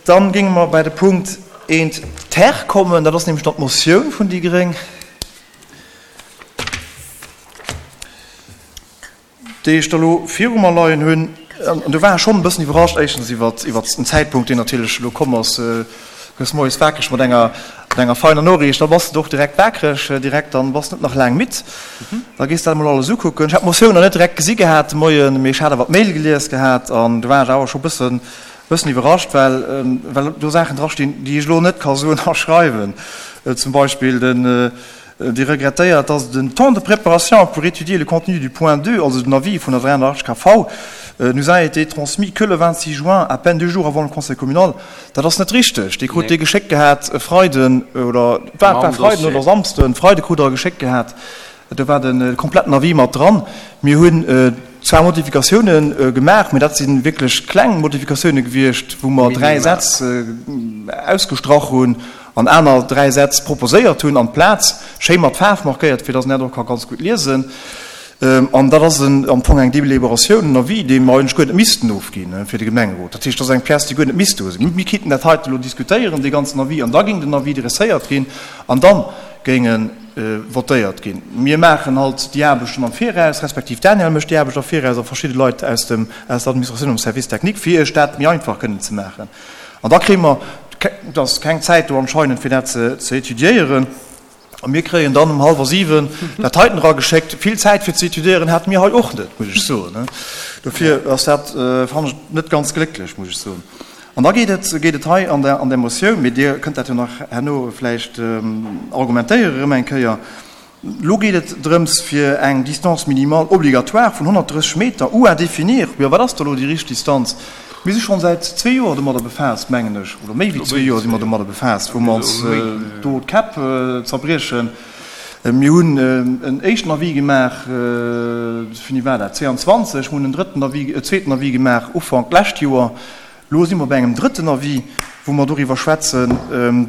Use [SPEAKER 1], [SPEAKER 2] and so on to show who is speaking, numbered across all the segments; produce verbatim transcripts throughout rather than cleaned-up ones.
[SPEAKER 1] Dann géinge mer bei de Punkt eent ter kommen, dat ass nämlech dann d'Motioun vun déi gréng, déi ech da lo viru mer leien hunn. An do war ech schonn e bëssen iwwerrascht, éischtens iwwert, iwwert den Zäitpunkt, deen natierlech elo komm ass. Gëss moies wakereg mat enger, mat enger feiner Noriicht, da bass de och direkt wakereg, direkt, dann bass de net nach laang midd. Da gees de dat emol alles ukucken. Ech hat d'Motioun nach net direkt gesi gehat de Moien, mee ech hat awer d'Mail gelies gehat an do war ech awer scho bëssen, bëssen iwwerrascht, well, well do Saachen drastinn, déi ech elo net ka soen a schreiwen. Zum Beispill den, Dir regrettéiert, dass den temps de préparation pour étudier le contenu du point deux, also den Avis vun der dräiannerachtzeg K V, nous a été transmis que le vingt-six juin, à peine deux jours avant le Conseil communal. Dat ass net richteg. Dir krut dee geschéckt gehat e Freiden oder, war, war Freiden oder Samsden, Freide krut Der e geschéckt gehat. Do war de kompletten Avis mat dran. Mir hunn zwar Modifikatiounen gemaach, mä dat si wierklech kleng Modifikatiounen gewiescht, wou mer dräi Sätz ausgestrach hunn an aner dräi Sätz proposéiert hunn an d'Plaz, schéi mat Faarf markéiert, fir dass een dat och ka ganz gutt liesen. An dat ass am Fong eng Deliberatioun, en Avis, dee mer eigentlech guer net missten ofginn fir de Gemengerot. Dat heescht, dat ass eng Pièce, déi guer net misst do sinn. Mir kéinten dat heite elo diskutéieren, dee ganzen Avis, an da géing den Avis dresséiert ginn an da géing e votéiert ginn. Mir maachen halt déi Aarbechten am Viraus, respektiv d'Danièle mécht déi Aarbecht am Viraus a verschidde Leit aus dem, aus der Administratioun am Service technique, fir Iech dat méi einfach kënnen ze maachen. An da kréie mer, et ass keng Zäit do anscheinend, fir dat ze étudiéieren, a mir kréien dann um hallwer siwen dat heiten erageschéckt. Vill Zäit fir ze étudiéieren hate mir hei och net, muss ech soen. Dofir ass dat, fannen ech, net ganz glécklech, muss ech soen. An da geet et, geet et hei an der, an der Motioun, mee Dir kënnt dat jo nach herno vläicht argumentéieren erëm eng Kéier, Elo geet et drëms, fir eng Distance minimale obligatoire vun honnertdrësseg Meter ou à définir. Jo, wat ass da elo déi richteg Distanz? Mir si schonn säit zwee Joer domadder befaasst, mengen ech, oder méi wéi zwee Joer si mer domadder befaasst, wou mer ons do d'Käpp zerbriechen. Mir hunn en éischten Avis gemaach, wéini war dat, zweeanzwanzeg, mir hunn en drëtten Avis, e zweeten Avis gemaach Ufank d'lescht Joer. Elo si mer bei engem drëtten Avis, wou mer doriwwer schwätzen.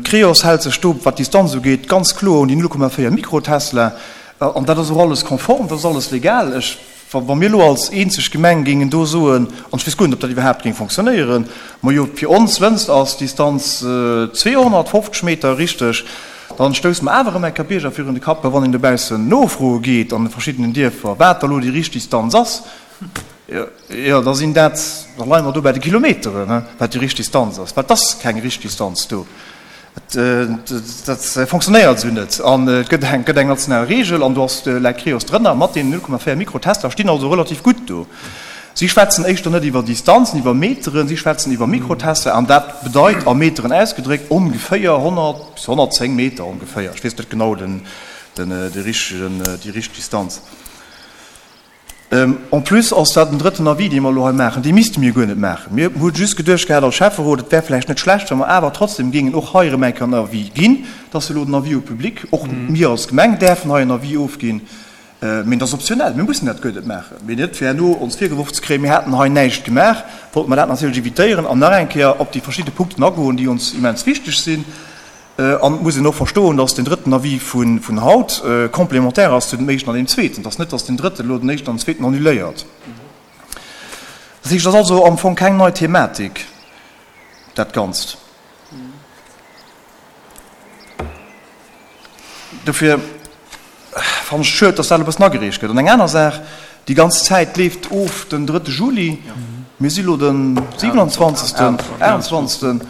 [SPEAKER 1] D'Creos hält sech do, wat d'Distanz ugeet, ganz kloer un déi null Komma véier Mikrotesla. An dat ass och alles konform, dat ass alles legal. Ech, wa mir elo als eenzeg Gemeng géingen do soen, an ech weess guer net, ob dat iwwerhaapt géing fonctionnéieren, majo, fir ons wënst ass d'Distanz zweehonnertfofzeg Meter richteg, dann stousse mer awer erëm eng Kéier Bierger virun de Kapp, well wann een dobaussen nofroe geet an de verschiddenen Dierfer, wat da elo déi richteg Distanz ass, Jo, da sinn dat, da leie mer do bei de Kilometeren, wat déi richteg Distanz ass, well et ass keng richteg Distanz do. Dat fonctionnéiert esou net. An et gëtt eng, gëtt eng national Regel an do ass, läit d'Creos drënner mat deenen null Komma véier Mikrotester, stinn also relativ gutt do. Si schwätzen éischter net iwwer Distanzen, iwwer Meteren, si schwätzen iwwer Mikrotester an dat bedeit a Meteren ausgedréckt ongeféier honnert bis honnertzéng Meter ongeféier. Ech weess net genau den, den, déi richtegen, déi richteg Distanz. En plus ass dat en drëtten Avis, dee mer elo hei maachen. Dee misste mir guer net maachen. Mir hu just geduecht gehat als Schäfferot, et wär vläicht net schlecht, wa mer awer trotzdem géingen och hei erëm eng Kéier en Avis ginn. Et ass jo elo den Avis au public. Och mir als Gemeng däerfen hei en Avis ofginn. Mee dat ass optionell. Mir mussen dat guer net maachen. Mee net fir herno ons virgeworf ze kréien, mir hätten hei näischt gemaach, wollte mer dat natierlech évitéieren an nach eng Kéier op déi verschidde Punkten agoen, déi ons immens wichteg sinn. An et muss een och verstoen, dass deen drëtten Avis vun haut complémentaire ass zu dem éischten an deem zweeten. Et ass net, dass deen drëtten elo den éischten an den zweeten annuléiert. Dat heescht, et ass also am Fong keng nei Thematik, dat Ganzt. Dofir fannen ech et schued, dass dat elo e bëssen agereecht gëtt. An eng aner Saach, Déi ganz Zäit leeft of den drëtte Juli. Mir si lo de siwenanzwanzegsten, aachtundzwanzegsten.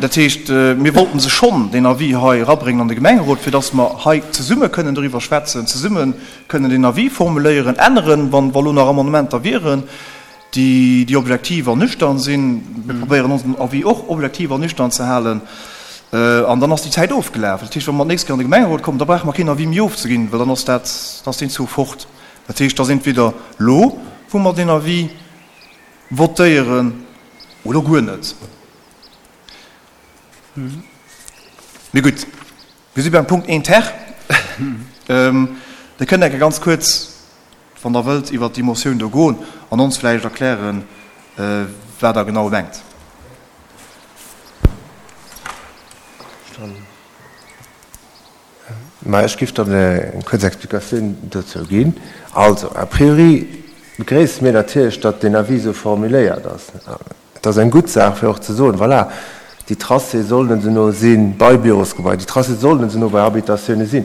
[SPEAKER 1] Dat heescht, mir wollten se schonn, deen Avis hei erabréngen an de Gemengerot, fir dass mer hei zesumme kënnen doriwwer schwätzen, zesumme kënnen deen Avis formuléieren, änneren, wann wa lo nach Amendementer wieren, déi, déi objektiv an nüchtern sinn. Mir probéieren onsen Avis och objektiv an nüchtern ze halen. An dann ass déi Zäit ofgelaf. Dat heescht, wa mer d'nächst Kéier an de Gemengerot kommen, da brauche mer keen Avis méi ofzeginn, well dann ass dat, dann ass deen Zuch fort. Dat heescht, et ass entweder elo, wou mer deen Avis votéieren, oder guer net. Mee gutt, mir si beim Punkt een ter. Dir kënnt enke ganz kuerz, wann Der wëllt, iwwert déi Motioun do goen an ons vläicht erklären, wat Der genau mengt.
[SPEAKER 2] Mä ech géif dann eng kuerz Explikatioun dozou ginn. Also, a priori begréisse mir natierlech, datt deen Avis esou formuléiert ass. Et ass eng gutt Saach, fir och ze soen, voilà, Déi Tracé sollen se no si bei Bürosgebaier, déi Tracé sollen se no bei Habitatioune sinn.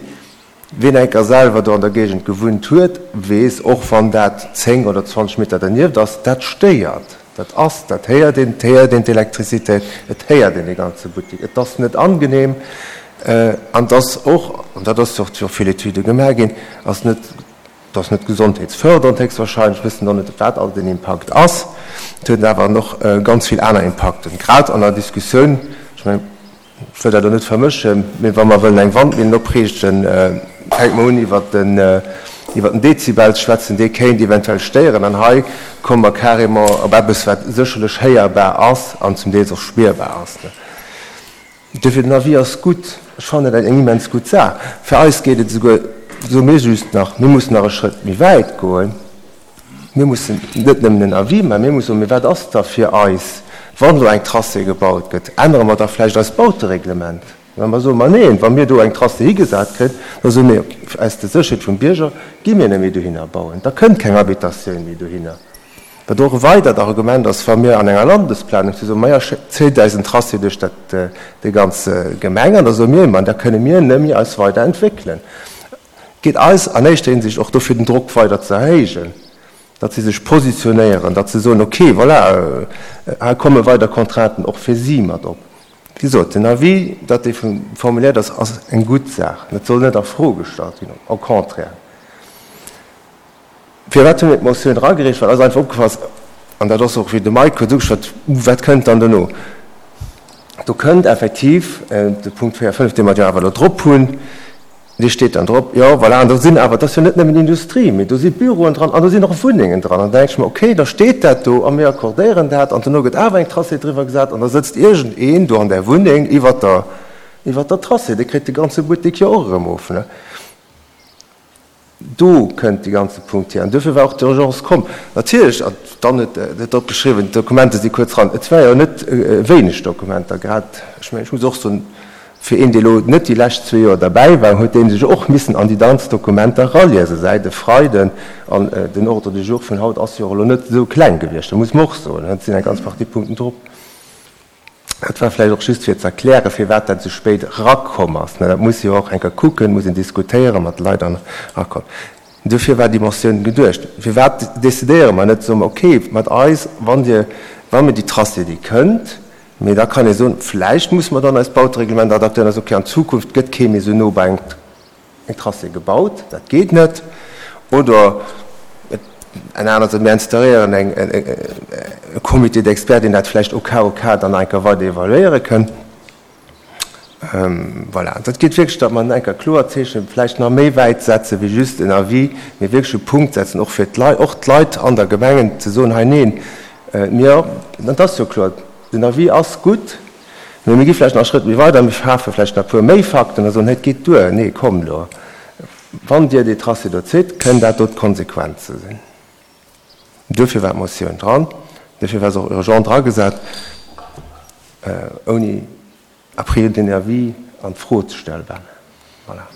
[SPEAKER 2] Wien eng Kéier selwer do an der Géigend gewunnt huet, weess, och wann dat zéng oder zwanzeg Meter dernieft ass, dat stéiert. Dat ass, dat héiert een, et héiert een d'Elektrizitéit, et héiert een dee ganze Buttek. Et ass net angenehm an et ass och, an dat ass och jo vill Etüde gemaach ginn, ass net, et ass net gesondheetsfördernd héchstwahrscheinlech, wëssen och net, wat all den Impakt ass. Et huet awer och ganz vill aner Impakten, grad an der Diskussioun, ech mengen, ech wëll dat elo net vermëschen, mee wa mer wëllen eng Wandmillen opriichten, fänke mer un iwwert den, iwwert den Dezibel ze schwätzen, dee kéint eventuell stéieren. An hei komme mer carrément op eppes, wat sécherlech héierbar ass an zum Deels och spierbar ass. Duerfir, den Avis ass gutt. Ech fannen dat eng immens gutt Saach. Fir eis geet et esouguer, soe mir just nach, mir mussen nach e Schrëtt méi wäit goen. Mir mussen net nëmmen en Avis maachen, mir mussen soen, mee wat ass da fir eis, wann elo eng Tracé gebaut gëtt, ännere mer da vläicht eist Bautereglement? Wa mer soen, ma neen, wa mir do eng Tracé higesat kréien, da soe mir, aus der Sécherheet vum Bierger gi mir net méi dohinner bauen, da kënnt keng Habitatioun méi dohinner. Wat och e weidert Argument ass, wa mir an enger Landesplanung si soen, maja, zéit eis en Tracé duerch dat, déi ganz Gemeng, an da soe mir, ma da kënne mir net méi eis weider entwéckelen. Geet eis an éischter Hinsicht och dofir, den Drock weider ze erhéijen, datt si sech positionéieren, datt se soen, okay, voilà, hei komme weider Contrainten och fir si mat op. Wéi gesot, den Avis, datt dee formuléiert ass, ass eng gutt Saach. Dat soll net a Fro gestallt ginn, au contraire. Firwat hu mir d'Motioun eragereecht? Well eis einfach opgefall ass, an dat ass och, wéi de Mike huet ugeschwat, wat kënnt dann dono? Do kënnt effektiv de Punkt véier, fënnef, dee mer jo awer elo drop hunn, dee steet dann drop, jo, voilà, an do sinn awer, et ass jo net nëmmen Industrie, mee do si Büroen dran an do sinn och Wunnengen dran. An da denke ech mer, okay, da steet dat do a mir accordéieren dat an dono gëtt awer eng Tracé driwwer gesat an da sëtzt iergendeen do an där Wunneng iwwert der, iwwert der Tracé, dee kritt de ganze Buttek jo och erëm of, ne? Do kënnt dee ganze Punkt hier. An duerfir war och d'Urgence komm. Natierlech, an dann huet et drop geschriwwen, d'Dokumenter si kuerz ran. Et war jo net wéineg Dokumenter, grad, ech mengen, ech muss och soen, fir een, dee elo net déi lescht zwee Joer derbäi war, huet dee sech och missen an déi ganz Dokumenter eraliesen, säit e Freiden. An den Ordre du jour vun haut ass jo och elo net esou kleng gewiescht, dat muss mer och soen. Et sinn eng ganz Partie Punkten drop. Dat war vläicht och just fir ze erklären, firwat dat esou spéit erakomm ass. Dat muss ee jo och eng Kéier kucken, muss een diskutéieren mat de Leit an erakommen. Dofir war déi Motioun geduecht. Firwat decidéiere mer net, soe mer, okay, mat eis, wann Dir, wa mir déi Tracé, déi kënnt, mee da kann ee soen, vläicht musse mer dann eist Bautereglement adaptéieren, da soe, okay, an Zukunft gëtt kee méi esou no bei eng eng Tracé gebaut, dat geet net, oder en anert seet, mir instauréieren eng e Comité d'experts, deen dat vläicht au cas au cas dann nach eng Kéier weider evaluéiere kënn. Voilà, dat geet wierklech, datt mer eng Kéier kloer Zeechen, vläicht nach méi wäit setze wéi just en Avis, mee wierklech e Punkt setzen, och fir d'Leit, och d'Leit an der Gemengen ze soen, hei neen, mir, dat ass jo kloer, den Avis ass gutt, Mee mir gi vläicht nach e Schrëtt méi weit a mir schafe vläicht nach e puer méi Fakten a soen, Hey, et geet duer, nee, komm elo, wann Dir dee Tracé do zitt, kënnen dat do d'Konsequenze sinn. Duerfir war d'Motioun dran, duerfir war se och urgent dragesat, ouni a priori den Avis an d'Fro ze stellen. Voilà.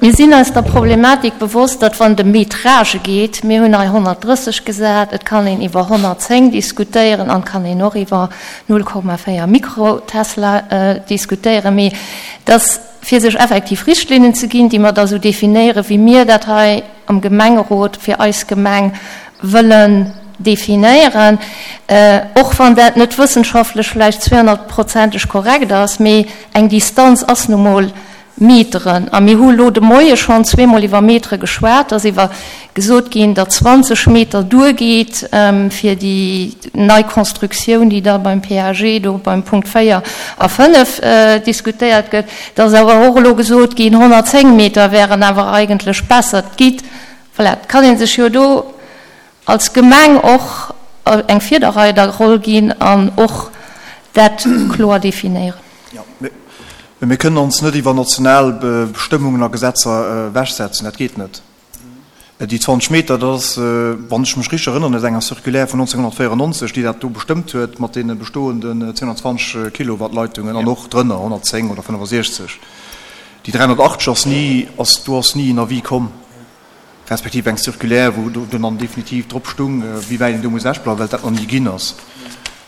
[SPEAKER 3] Mir sinn eis der Problematik bewosst, datt wann et ëm Métragë geet, mir hunn hei honnertdrësseg gesat, et kann een iwwer honnertzéng diskutéieren an et kann een och iwwer null Komma véier Mikrotesla diskutéieren, mee datt fir sech effektiv Richtlinnen ze ginn, déi mer da sou definéieren, wéi mir dat hei am Gemengerot fir eis Gemeng wëllen definéieren, och wann dat net wëssenschaftlech vläicht zweehonnertprozenteg korrekt ass, mee eng Distanz ass nu mol Meteren. A mir hu elo de Moie schonn zweemol iwwer Metere geschwat. Et ass iwwer gesot ginn, datt zwanzeg Meter duergeet fir déi nei Constructioun, déi da beim P A G do beim Punkt véier a fënnef diskutéiert gëtt. Et ass awer och elo gesot ginn, honnertzéng Meter wären awer eigentlech besser. Et geet, voilà, et kann ee sech jo do als Gemeng och eng Virderreiderroll ginn an och dat kloer definéieren.
[SPEAKER 1] Jo, mee mir kënnen ons net iwwer national Bestëmmungen a Gesetzer ewechsetzen. Dat geet net. Déi zwanzeg Meter, dat ass, wann ech mech richteg erënneren, aus enger Circulaire vun nonzénghunnertvéierennonzeg, déi dat do bestëmmt huet mat deene bestoenden zweehunnertzwanzeg Kilowatt-Leitungen an och drënner, honnertzéng oder fënnefasiechzeg. Déi dräihunnertachtzeg ass ni, ass, do ass ni en Avis komm. Respektiv eng Circulaire, wou do dann definitiv drop stung, wéi wäit een do muss ewechbleiwen, well dat nach ni ginn ass.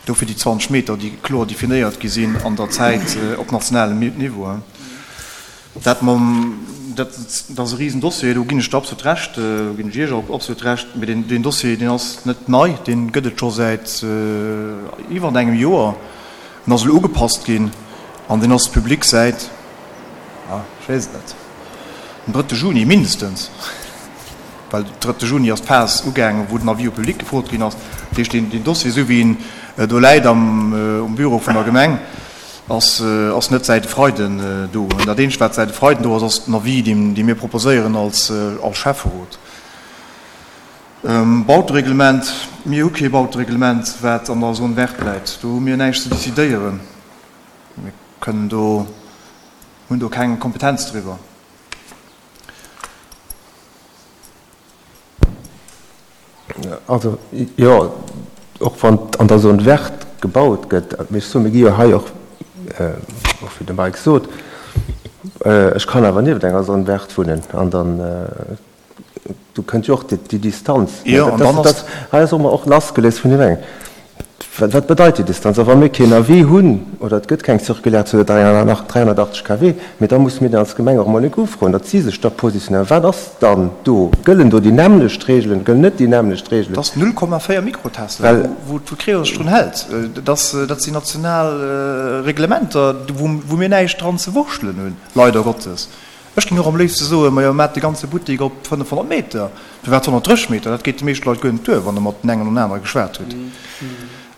[SPEAKER 1] Dofir déi zwanzeg Meter, déi kloer definéiert gi sinn an der Zäit op nationalem Niveau. Dat mam, dat ass e Risendossier, do ginn ech der absolut Recht, do ginn ech Iech och absolut Recht, mee deen, deen Dossier, deen ass net nei, dee gëtt et scho säit iwwer engem Joer. En ass elo ugepasst ginn an deen ass public säit, ech weess et net, dem drëtte Juni mindestens, well den drëtte Juni ass d'Phas ugaangen, wou den Avis au public gefrot ginn ass. Dat heescht, deen Dossier, esou wéi en do läit am um Büro vun der Gemeng, ass ass net säit e Freiden do. An dat eenzegt, wat säit e Freiden do ass, ass den Avis, dee dee mir proposéieren als als Schäfferot. Bautereglement, Mir hu kee Bautereglement, wat an der Zone verte läit. Do hu mir näischt ze decidéieren. Mir kënnen do, hunn do keng Kompetenz driwwer.
[SPEAKER 2] Also, jo, och wann an der Zone verte gebaut gëtt, mee ech soen, mir gi jo hei och, och wéi de Mike sot, ech kann awer nieft enger Zone verte wunnen an dann, do kënnt jo och déi Distanz.
[SPEAKER 1] Jo, an dann ass.
[SPEAKER 2] Hei ass och och lassgeléist vun deem engen. Wat bedeit déi Distanz? A wa mir keen Avis hunn oder et gëtt keng Circulaire zu der dräihunnertachtzeg K W, mee da musse mir dann als Gemeng och emol enk ufroen, datt si sech da positionéieren. Wat ass dann do? Gëllen do déi nämmlecht Regeln? Gëllen net déi nämmlecht Regeln?
[SPEAKER 1] Dat ass null Komma véier Mikrotesla, wou d'Creo sech drun hält. Dat sinn national Reglementer, wou mir näischt dran ze wurschtelen hunn, leider Gottes. Ech géing och am léifste soen, majo, maat de ganze Buttek op fënnefhonnert Meter. Firwat honnertdrësseg Meter? Dat geet de meeschte Leit guer net duer, wann Der mat den engen an anere geschwat hutt.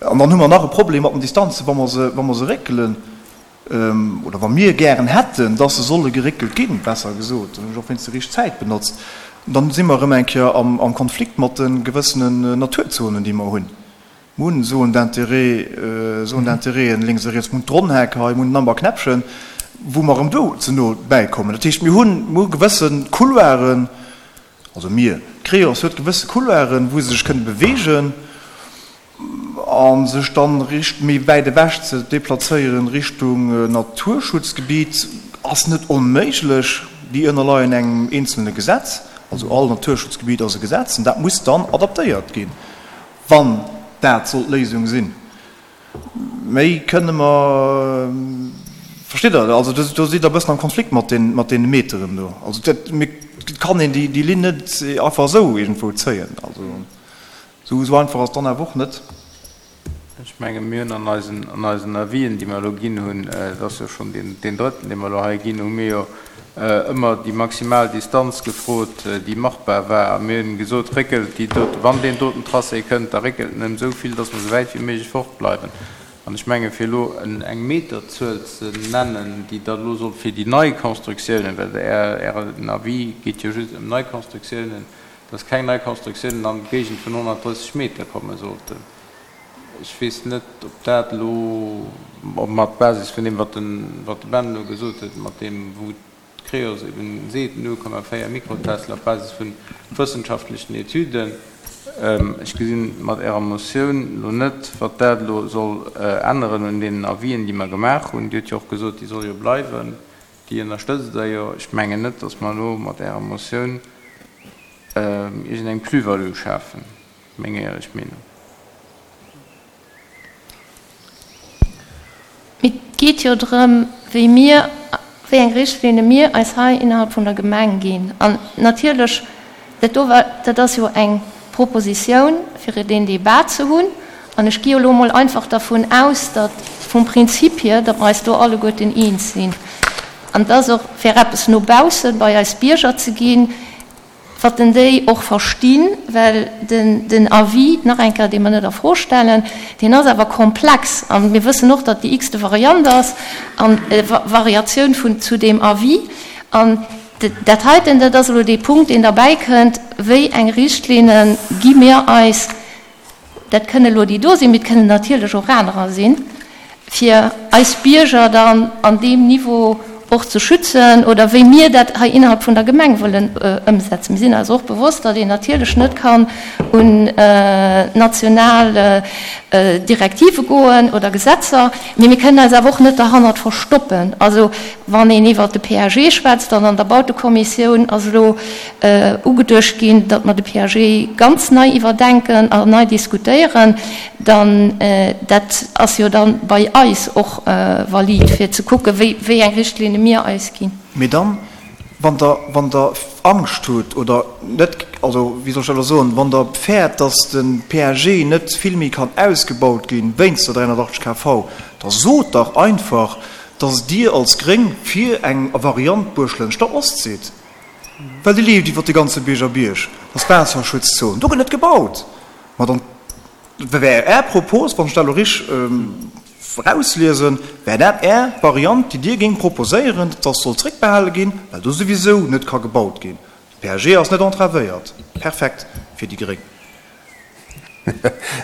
[SPEAKER 1] An dann hu mer nach e Problem mat den Distanzen, wa mer se, wa mer se réckelen, oder wa mir gären hätten, dass se solle geréckelt ginn, besser gesot, dann hunn ech och wéinst déi richteg Zäit benotzt, dann si mer erëm eng Kéier am, am Konflikt mat de gewëssenen Naturzonen, déi mer hunn. Mir hunn Zones d'intérêt, Zones d'intérêten lénks a riets, mir hunn d'Ronnheck hei, mir hunn den Amber Knäppchen, wou mer erëm do ze no bäikommen. Dat heescht, mir hunn, mir hu gewësse Couloiren, also mir, d'Creos huet gewësse Couloiren, wou se sech kënne beweegen a sech dann richt méi wäit ewech ze deplazéieren Richtung Naturschutzgebiet ass net onméiglech. Déi ënnerleien engem eenzelne Gesetz, also all Naturschutzgebiet ass e Gesetz an dat muss dann adaptéiert ginn, wann dat soll d'Léisung sinn. Méi kënne mer, verstitt Der, also do sidd Der e bëssen am Konflikt mat deene Meteren do. Also dat, et kann een déi Linn net einfach esou iergendwou zéien. Also esou einfach ass et dann awer och net.
[SPEAKER 4] Ech menge mir hunn an eisen, an eisen Avisen, déi mer elo ginn hunn, et ass jo schonn deen, deen drëtten, dee mer elo hei ginn, hu mir jo ëmmer déi maximal Distanz gefrot, déi machbar war. A mir hunn gesot, réckelt déi doten, wann deen doten Tracé kënnt, da réckelt en ëm esou vill, dass mer esou wäit wéi méiglech fortbleiwen. An ech menge fir elo eng Meterzuel ze nennen, déi da elo soll fir déi nei Constructiounen, well Ären Avis geet jo just ëm nei Constructiounen, dass keng nei Constructiounen an d'Géigend vun honnertdrësseg Meter komme sollten. Ech weess net, ob dat elo, ob mer op Basis vun deem, wat de Ben elo gesot huet, mat deem, wou d'Creos eben seet, null Komma véier Mikrotesla op Basis vu wëssenschaftlechen Etüden, ech gesinn mat Ärer Motioun elo net, wat dat elo soll änneren un deenen Avisen, déi mer gemaach hunn. Dir hutt jo och gesot, déi soll jo bleiwen, déi ënnerstëtzt Der jo. Ech mengen net, datt mer elo mat Ärer Motioun iergendeng Plus-value schafen, meng éierlech Meenung.
[SPEAKER 3] Et geet jo drëm, wéi mir, wéi eng Richtlinne mir eis hei innerhalb vun der Gemeng ginn. An natierlech, dat do war, dat ass jo eng Propositioun, fir deen Débat ze hunn. An ech gi jo elo emol einfach dervun aus, datt vum Prinzip hier, datt mer eis do alleguerten eens sinn. An et ass och, fir eppes no bausse bei eis Bierger ze ginn, Wat en déi och verstinn, well den, den Avis, nach eng Kéier, dee mer net a Fro stellen, deen ass awer komplex. A mir wëssen och, datt déi x-te Variant ass an Variatioun vun, zu deem Avis. An dat heiten, dat ass elo dee Punkt, deen derbäikënnt, Wéi eng Richtlinne gi mir eis? Dat kënne elo déi do sinn, mee et kënnen natierlech och anerer sinn, fir eis Bierger dann an deem Niveau och ze schützen oder wéi mir dat hei innerhalb vun der Gemeng wëllen ëmsetzen. Mir sinn eis och bewosst, datt een natierlech net kann un national Direktive goen oder Gesetzer, mee mir kënnen eis awer och net derhannert verstoppen. Also wann een iwwert de P A G schwätzt, an an der Bautekommissioun ass elo ugeduecht ginn, datt mer de P A G ganz nei iwwerdenken an nei diskutéieren, dann dat ass jo dann bei eis och valid, fir ze kucken, wéi, wéi eng Richtlinne mir eis ginn.
[SPEAKER 1] Mee dann, wann Der, wann Der Angscht hutt oder net, also wéi soll ech dat elo soen, wann Der fäert, datt de P A G net vill méi kann ausgebaut ginn wéinst der dräihunnertachtzeg K V, da sot dach einfach, datt Dir als Gréng fir eng Variant Buerglënster Ost sidd. Well déi leeft iwwer de ganze Bierger Bierg, dat ass d'Waasserschutzzon, do gëtt net gebaut. Ma dann wär Är Propos, wann ech dat elo rich erausliesen, wär dat Är Variant, déi Dir géingt proposéieren, datt soll zréckbehale ginn, well do souwisou net ka gebaut ginn. De P A G ass net entravéiert. Perfekt fir déi Gréng.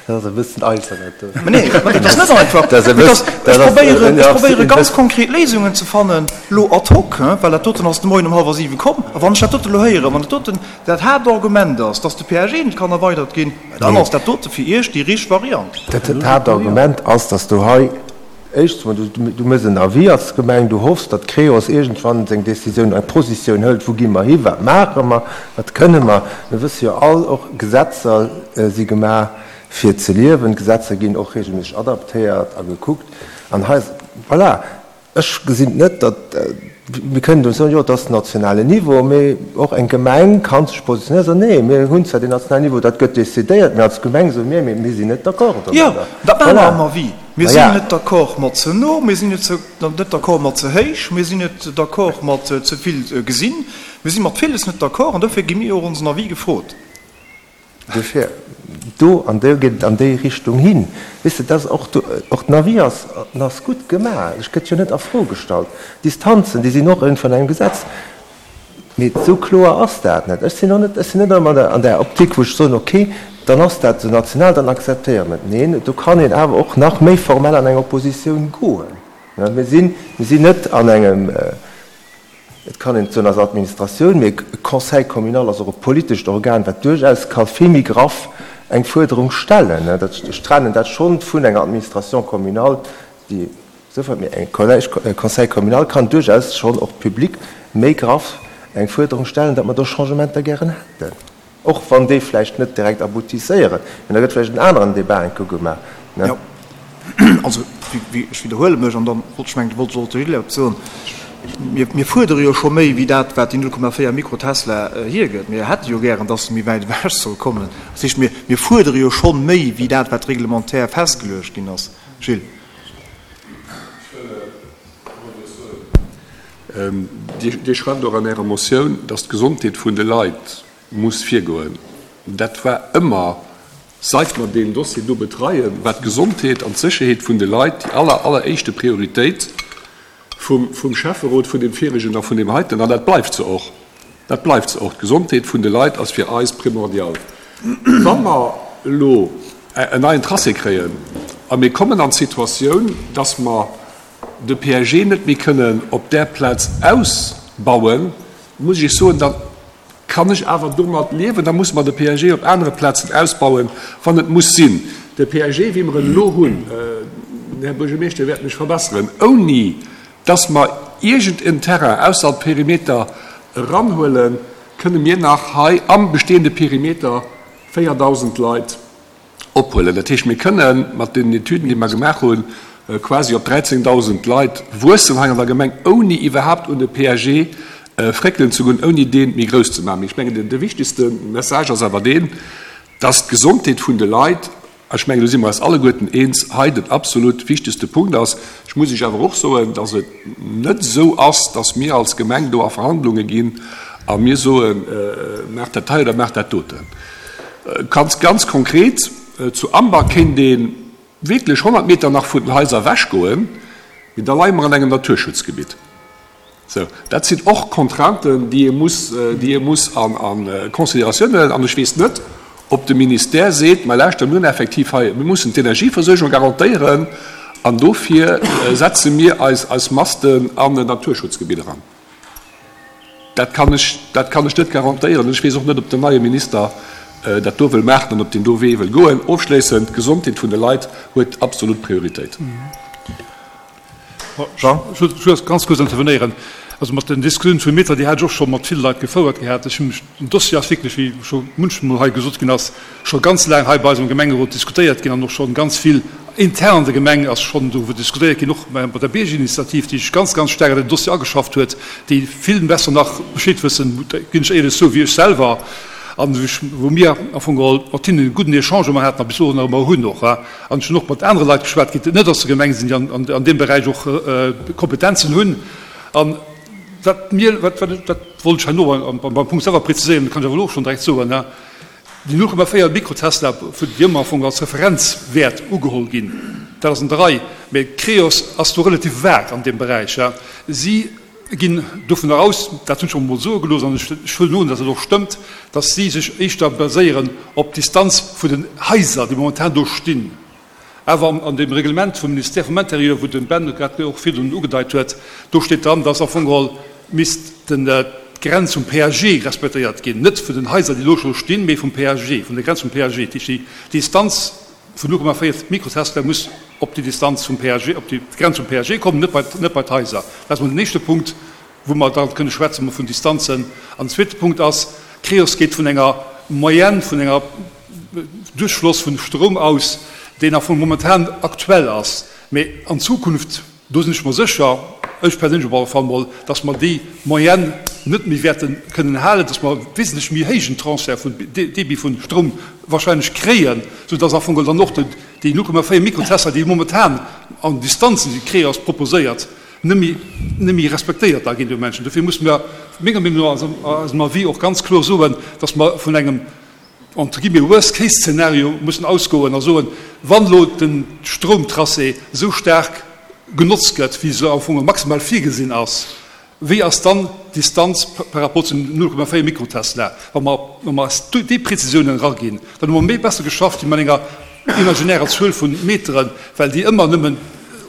[SPEAKER 2] Dat ass e bëssen einfach, dat do.
[SPEAKER 1] Mä nee, mä dat ass net einfach.
[SPEAKER 2] Dat ass e bëssen,
[SPEAKER 1] Ech
[SPEAKER 2] dat ass,
[SPEAKER 1] probéieren, ech probéiere ganz
[SPEAKER 2] ja.
[SPEAKER 1] konkret Léisungen ze fannen, elo ad hoc, hein, well dat doten ass de Moien um hallwer siwe komm. A wann ech dat dote elo héieren, wann dat doten dat Haaptargument ass, dass de P A G net kann erweidert ginn, mä dann ass dat dote fir Iech déi richteg Variant.
[SPEAKER 2] Dat Haaptargument ass, dass du hei éischtens emol, du, du méchs en Avis als Gemeng, du hoffs, datt d'Creos iergendwann seng Décisioun, eng Positioun hëlt, wou gi mer hi, wat maache mer, wat kënne mer. Mir wësse jo all, och Gesetzer si gemaach fir ze liewen, Gesetzer ginn och regelméisseg adaptéiert a gekuckt. An hei, voilà, ech gesinn net, datt, mir kënnen do soen, jo, dat ass den nationalen Niveau, mee och eng Gemeng kann sech positionéieren a soen, nee, mir hunn zwar deen nationalen Niveau, dat gëtt decidéiert, mee als Gemeng soe mir, mee mir sinn net d'accord
[SPEAKER 1] Jo,
[SPEAKER 2] domadder.
[SPEAKER 1] dat maache mer
[SPEAKER 2] Voilà.
[SPEAKER 1] am Avis. Mir
[SPEAKER 2] Ma
[SPEAKER 1] sinn
[SPEAKER 2] ja.
[SPEAKER 1] net d'accord mat ze no, mir sinn net d'accord mat ze héich, mir sinn net d'accord mat ze vill gesinn, mir si mat villes net d'accord an dofir gi mir och onsen Avis gefrot.
[SPEAKER 2] Dofir, do an do geet et an déi Richtung hin. Weess de, dat ass och do, och den Avis ass, en ass gutt gemaach, ech gëtt jo net a Fro gestallt. D'Distanzen, déi sinn och iergendwann engem Gesetz. Mee esou kloer ass dat net. Ech sinn och net, ech sinn net ëmmer an der Optik, wou ech soen, okay, dann ass dat esou national, dann akzeptéiere mer et. Neen, do kann een awer och nach méi formell an eng Oppositioun goen. Mir sinn, mir sinn net an engem, et kann een soen als Administratioun, mee e Conseil communal ass och e politescht Organ, wat duerchaus ka vill méi graff eng Fuerderung stellen. Dat, ech trennen dat schonn vun enger Administration communale, déi souwäit mir eng Collège, e Conseil communal kann duerchaus schonn och public méi graff eng Fuerderung stellen, datt mer do Changementer gären hätten. Och wann déi vläicht net direkt aboutisséieren, mee da gëtt vläicht en aneren Débat enke gemaach, ne?
[SPEAKER 1] Jo, also, wéi, ech widderhuele mech, an dann wollt ech mengen, wollt ech och de Gilles eppes soen, mir, mir fuerdere jo scho méi wéi dat, wat déi null Komma véier Mikrotesla hiergëtt. Mir hätte jo gären, dass se méi wäit ewech soll kommen. Dat heescht, mir, mir fuerdere jo scho méi wéi dat, wat reglementär festgeluecht ginn ass. Gilles.
[SPEAKER 5] Dir, Dir schreift och an Ärer Motioun, dass d'Gesondheet vun de Leit muss virgoen. Dat war ëmmer, seit mer deen Dossier do betreien, war d'Gesondheet an d'Sécherheet vun de Leit déi aller, alleréischte Prioritéit vum, vum Schäfferot, vun deem viregen a vun deem heiten. An dat bleift se och. Dat bleift se och. D'Gesondheet vun de Leit ass fir eis primordial. Wa mer elo en neien Tracé kréien a mir kommen an d'Situatioun, dass mer de P A G net méi kënnen op där Plaz ausbauen, muss ech soen, da kann ech awer domat liewen, da muss mer de P A G op anere Plazen ausbauen, wann et muss sinn. De P A G, wéi mer en elo hunn, den Här Buergermeeschter wäert mech verbessern, ouni dass mer irgenden Terrain ausser Perimeter eranhuelen, kënne mir nach hei am bestehende Perimeter véierdausend Leit ophuelen. Dat heescht, mir kënnen mat den Etüden, déi mer gemaach hunn, quasi op dräizéngdausend Leit wuessen hei an der Gemeng, ouni iwwerhaupt un de P A G fréckelen ze goen, ouni deen méi grouss ze maachen. Ich mengen, den, de wichtigste Message ass awer deen, dass d'Gesondheet vun de Leit, ech mengen, do si mer eis alleguerten eens, hei den absolut wichtigste Punkt ass. Ech muss Iech awer och soen, dass et net esou ass, dass mir als Gemeng do a Verhandlungen ginn a mir soen, äh, macht dat hei oder macht dat doten. Ganz, ganz konkret, äh, zu Amber kéint een wirklich hundert Meter nach vun den Häuser weggoen, mee da leie mer an engem Naturschutzgebiet. So, dat sind och Contrainten, déi ee muss, déi ee muss an, an Consideratioun huelen. An ech weess net, ob de Ministère seet, ma lauschter, mir hunn effektiv hei, mir mussen d'Energieversuergung garantéieren An dofir setze mir eis eis Masten an en Naturschutzgebitt eran. Dat kann ech, dat kann ech net garantéieren. Ech weess och net, ob den neie Minister dat do wëll maachen an ob deen do Wee wëll goen. Ofschléissend, d'Gesondheet vun de Leit huet absolut Prioritéit.
[SPEAKER 6] Jean? Ech wëll just ganz kuerz intervenéieren. Also mat den Diskussioune vum Meter, déi hat ech och scho mat ville Leit gefouert gehat. Ech hunn mech, den Dossier ass wierklech, wéi scho munchmol hei gesot ginn ass, scho ganz laang hei bei eis am Gemengerot diskutéiert ginn an och scho ganz vill intern an der Gemeng ass schonn doriwwer diskutéiert ginn, och mat der Biergerinitiativ, déi sech ganz, ganz staark an den Dossier ageschafft huet, déi vill besser nach Bescheed wëssen, ginn ech éierlech zou, wéi ech selwer, an wou mir am Fong geholl mat hinnen e gudden Echange ëmmer haten a bis elo nach ëmmer hunn och. An ech hunn och mat anere Leit geschwat, déi net aus der Gemeng sinn, déi an deem Beräich och Kompetenzen hunn. An wat mir, wat, wat, dat wollt ech herno beim, beim Punkt selwer preziséieren, dat kann ech awer elo och schonn direkt soen, déi null Komma véier Mikrotesla, vun déi ëmmer am Fong als Referenzwäert ugeholl ginn, dat ass an der Rei, mä Creos ass do relativ vag an deem Beräich. Si ginn dovunner aus, dat hunn ech och emol soe gelooss an ech, ech huelen un, datt dat och stëmmt, datt si sech éischter baséieren op d'Distanz vun den Haiser, déi momentan do stinn. Awer an deem Reglement vum Ministère vum Intérieur, wou de Ben grad och virdrun ugedeit huet, do steet dran, dass am Fong geholl misst d'Grenz vum P A G respektéiert ginn, net vun den Haiser, déi elo scho stinn, mee vum P A G, vun der Grenz vum P A G. Dat heescht, déi Distanz vun null Komma véier Mikrotesla muss op déi Distanz vum P A G, op déi Grenz vum P A G kommen, net bei, net bei d'Haiser. Dat ass emol den éischte Punkt, wou mer da kënne schwätze vun Distanzen. An den zweete Punkt ass, Creos geet vun enger Moyenne, vun enger Duerchfloss vun Stroum aus, deen am Fong momentan aktuell ass, mee an Zukunft, do sinn ech mer sécher, ech perséinlech op alle Fall mol, dass mer déi Moyenne net méi wäerte kënnen halen, dass mer wesentlech méi héijen Transfert vun Débit vun Stroum wahrscheinlech kréien, soudass am Fong dann och déi null Komma véier Mikrotesla, déi momentan an Distanzen, déi Creos proposéiert, net méi, net méi respektéiert da ginn, déi Menschen. Dofir musse mer menger Meenung no a eisem Avis och ganz kloer soen, dass mer vun engem, entre guillemets, Worst-Case-Szenario mussen ausgoen a soen, wann elo de Stroumtracé esou staark genotzt gëtt, wéi se am Fong maximal virgesinn ass, wéi ass dann d'Distanz par rapport zu null Komma véier Mikrotesla? Wa mer, wa mer eis déi Prezisiounen eraginn, dann hu mer méi besser geschafft wéi mat enger imaginärer Zuel vu Meteren, well déi ëmmer nëmmen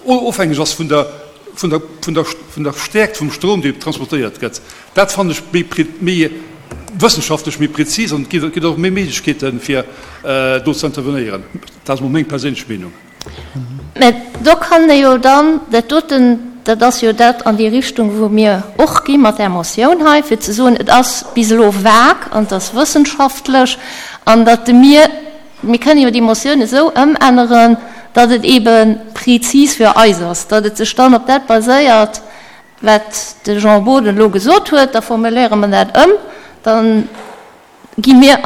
[SPEAKER 6] ofhängeg ass vun der, vun der, vun der, vun der Stäerkt vum Stroum, dee transportéiert gëtt. Dat fannen ech méi, méi wëssenschaftlech, méi prezis an et gëtt och méi Méiglechkeeten, fir do ze intervenéieren. Dat ass mol meng perséinlech Meenung.
[SPEAKER 3] Mä do kann ee jo dann dat doten, dat ass jo dat an déi Richtung, wou mir och gi mat där Motioun hei, fir ze soen, et ass bis elo vag an et ass wëssenschaftlech an datt mir, mir kënnen jo déi Motioun esou ëmänneren, datt et eebe prezis fir eis ass, datt et sech dann op dat baséiert, wat de Jean Boden elo gesot huet, da formuléiere mer dat ëm, da gi mir,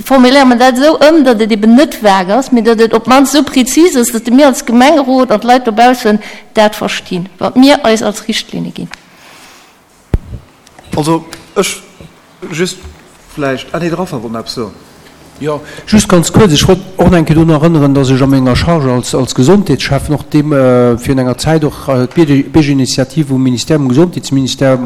[SPEAKER 3] formuléiere mer dat esou ëm, datt et eben net vague ass, mee datt et op d'mannst esou prezis ass, datt mir als Gemengerot an d'Leit dobaussen dat verstinn, wat mir eis als Richtlinne ginn.
[SPEAKER 1] Also ech just vläicht, ah nee, de Raphael wollt nach eppes soen.
[SPEAKER 7] Jo, just ganz kuerz. Ech wollt och nach eng Kéier drun erënneren, dass ech a menger Charge als, als Gesondheetsschäffen och deem virun enger Zäit och d'Biergerinitiativ um Ministère, um Gesondheetsministère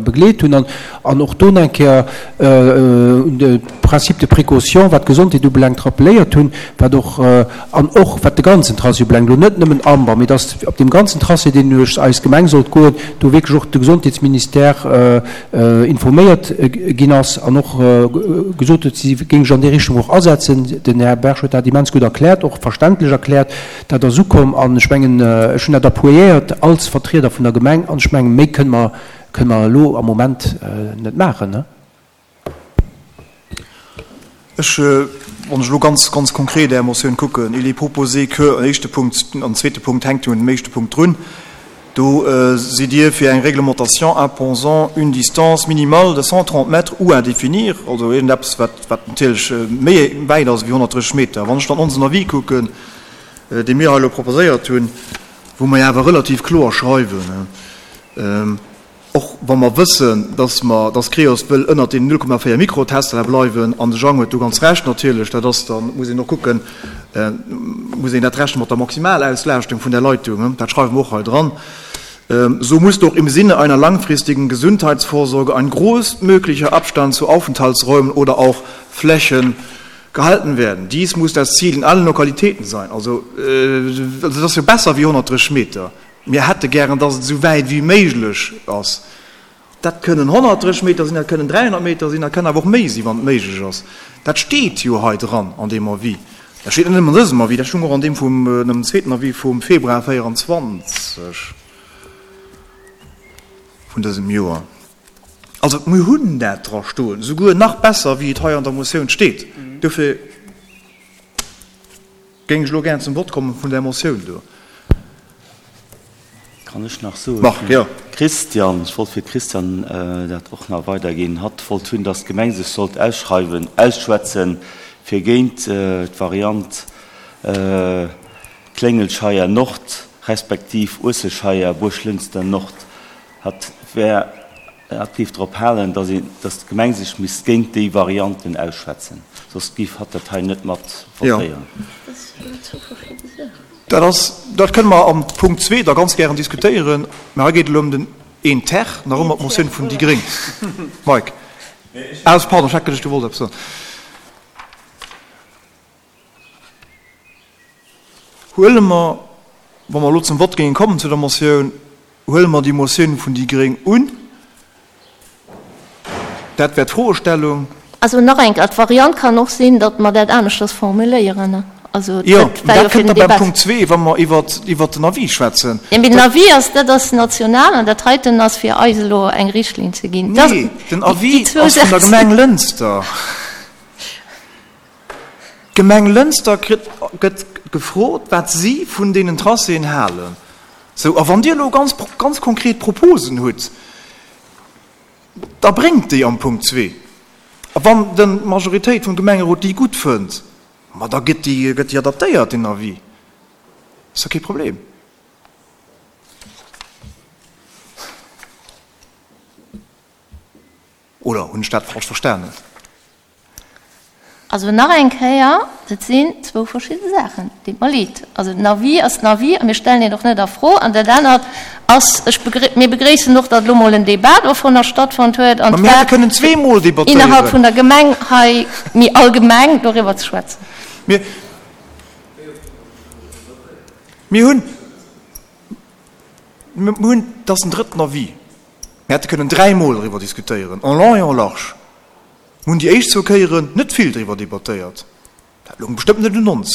[SPEAKER 7] begleet hunn an, an och do nach eng Kéier un de Principe de précaution, wat d'Gesondheet ubelaangt, rappeléiert hunn, wat och, an och wat de ganzen Tracé ubelaangt, elo net nëmmen Amber, mee dass op deem ganzen Tracé, deen duerch eis Gemeng sollt goen, do wierklech och de Gesondheetsministère informéiert ginn ass an och gesot huet, si géing sech an déi Richtung och asetzen. Den Här Berg huet dat immens gutt erkläert, och verständlech erkläert. Dat ass ukomm an ech mengen, ech hunn dat appuiéiert als Vertrieder vun der Gemeng an ech mengen, méi kënne mer, kënne mer elo am Moment net maachen.
[SPEAKER 1] Ech, wann ech elo ganz, ganz konkret Är Motioun kucken, il est proposé que, an éischte Punkt, an zweete Punkt hänkt jo un dem éischte Punkt drun, do sidd Dir fir eng Réglementation imposant une distance minimale de cent trente mètres ou à définir, also iergendeppes, wat, wat natierlech méi wäit ass wéi honnertdrësseg Meter. Wann ech dann onsen Avis kucken, dee mir hei elo proposéiert hunn, wou mer jo awer relativ kloer schreiwen, och wa mer wëssen, dass mer, dass Creos wëll ënnert deenen null Komma véier Mikrotesla bleiwen, an de Jang huet do ganz Recht natierlech, dat ass dann, muss een och kucken, muss een dat rechnen mat der Maximalauslaaschtung vun der Leitung, dat schreiwe mer och hei dran, so muss doch im Sinne einer langfristigen Gesundheitsvorsorge ein großmöglicher Abstand zu Aufenthaltsräumen oder auch Flächen Gehalten werden. Dies muss das Ziel in allen Lokalitäten sein. Also, äh, also dat ass jo besser wéi honnertdrësseg Meter. Mir hätte gären, dass et esou wäit wéi méiglech ass. Dat kënnen honnertdrësseg Meter sinn, dat kënnen dräihonnert Meter sinn, dat kënnen awer och méi sinn, wann et méiglech ass. Dat steet jo hei dran an deem Avis. Dat steet net nëmmen an dësem Avis, dat stoung och an deem vum, dem zweeten Avis vum Februar véieranzwanzeg vun dësem Joer. Also mir hunn dat dra stoen, souguer nach besser wéi et hei an der Motioun steet. Dofir géing ech elo gären zum Vott komme vun där Motioun do.
[SPEAKER 8] Kann ech nach soen?
[SPEAKER 1] Marc, jo.
[SPEAKER 8] Christian, ech wollt fir d'Christiane dat och nach weiderginn. Hatt wollt hunn, datt d'Gemeng sech sollt ausschreiwen, ausschwätzen, fir géint d'Variant Kléngelscheier Nord respektiv Uesselscheier, Buerglënster Nord. Hatt wär, hatt géif drop halen, datt een, datt d'Gemeng sech misst géint déi Varianten ausschwätzen, soss géif hatt dat hei net mat votéieren.
[SPEAKER 1] Dat ass, dat kënne mer am Punkt zwee da ganz gären diskutéieren, mä hei geet et elo ëm den een ter, nach ëmmer d'Motioun vun déi gréng. Mike. Ah, pardon, ech hat geduecht, du wolls eppes soen. Huele mer, wa mer elo zum Vott géinge kommen zu der Motioun, huele mer déi Motioun vun déi gréng un? Dat wär d'Froestellung.
[SPEAKER 3] Also nach eng Kéier, d'Variant kann och sinn, datt mer dat aneschters formuléieren. Also
[SPEAKER 1] Jo,
[SPEAKER 3] dat war jo
[SPEAKER 1] dat
[SPEAKER 3] fir
[SPEAKER 1] kënnt
[SPEAKER 3] den
[SPEAKER 1] da beim
[SPEAKER 3] Debat.
[SPEAKER 1] Punkt zwee, wa mer iwwert, iwwert den Avis schwätzen.
[SPEAKER 3] Jo, mee den Avis ass, dat ass national an dat heiten ass fir eis elo eng Richtlinn ze ginn. Dat,
[SPEAKER 1] Nee, den
[SPEAKER 3] déi
[SPEAKER 1] Avis
[SPEAKER 3] zwou
[SPEAKER 1] ass vun der
[SPEAKER 3] Sätz.
[SPEAKER 1] Gemeng Lënster. D'Gemeng Lënster kritt, gëtt gefrot, wat si vun deenen Tracéen halen. Sou, a wann Dir elo ganz, ganz konkret Proposen hutt, da bréngt déi am Punkt zwee. A wann d'Majoritéit vum Gemengerot déi gutt fënnt, ma da gëtt déi, gëtt déi adaptéiert, deen Avis. Ass jo kee Problem. Oder hunn ech dat falsch verstanen?
[SPEAKER 3] Also nach eng Kéier, dat sinn zwou verschidde Saachen. Deet mer leed. Also den Avis ass den Avis a mir stellen deen och net a Fro. An dat anert ass, ech begré, mir begréissen och, datt elo mol en Débat dovunner stattfonnt huet, an
[SPEAKER 1] Mä mir hätte
[SPEAKER 3] zwar
[SPEAKER 1] kënnen zweemol
[SPEAKER 3] innerhalb
[SPEAKER 1] debattéieren.
[SPEAKER 3] vun der Gemeng hei méi allgemeng doriwwer ze schwätzen.
[SPEAKER 1] Mir, mir hunn, mir hunn, dat ass den drëtten Avis, mir hätte kënnen dräimol doriwwer diskutéieren, en long et en large. Mir hunn déi éischt zwou Kéieren net vill driwwer debattéiert. Dat loung bestëmmt net un ons.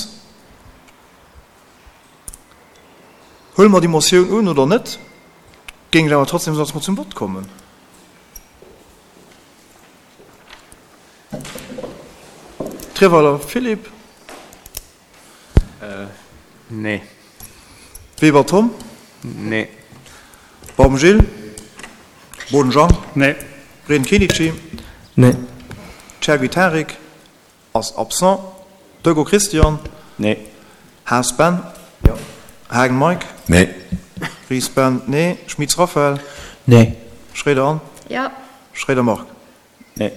[SPEAKER 1] Huele mer déi Motioun un oder net, géing ech awer trotzdem soen, dass mer zum Vott kommen. Treweiler Philippe.
[SPEAKER 4] Nee.
[SPEAKER 1] Weber Tom.
[SPEAKER 4] Nee.
[SPEAKER 1] Baum Gilles. Boden Jean.
[SPEAKER 6] Nee.
[SPEAKER 1] Rehn Kenichi.
[SPEAKER 9] Nee.
[SPEAKER 1] Chergui Tarik ass absent. Deugo Christian.
[SPEAKER 8] Nee.
[SPEAKER 1] Haas Ben.
[SPEAKER 2] Jo.
[SPEAKER 1] Haagen Mike.
[SPEAKER 5] Nee.
[SPEAKER 1] Ries Ben, nee. Schmitz Raphaël.
[SPEAKER 7] Nee.
[SPEAKER 1] Schroeder Anne.
[SPEAKER 3] Jo.
[SPEAKER 1] Schroeder Marc.
[SPEAKER 8] Nee.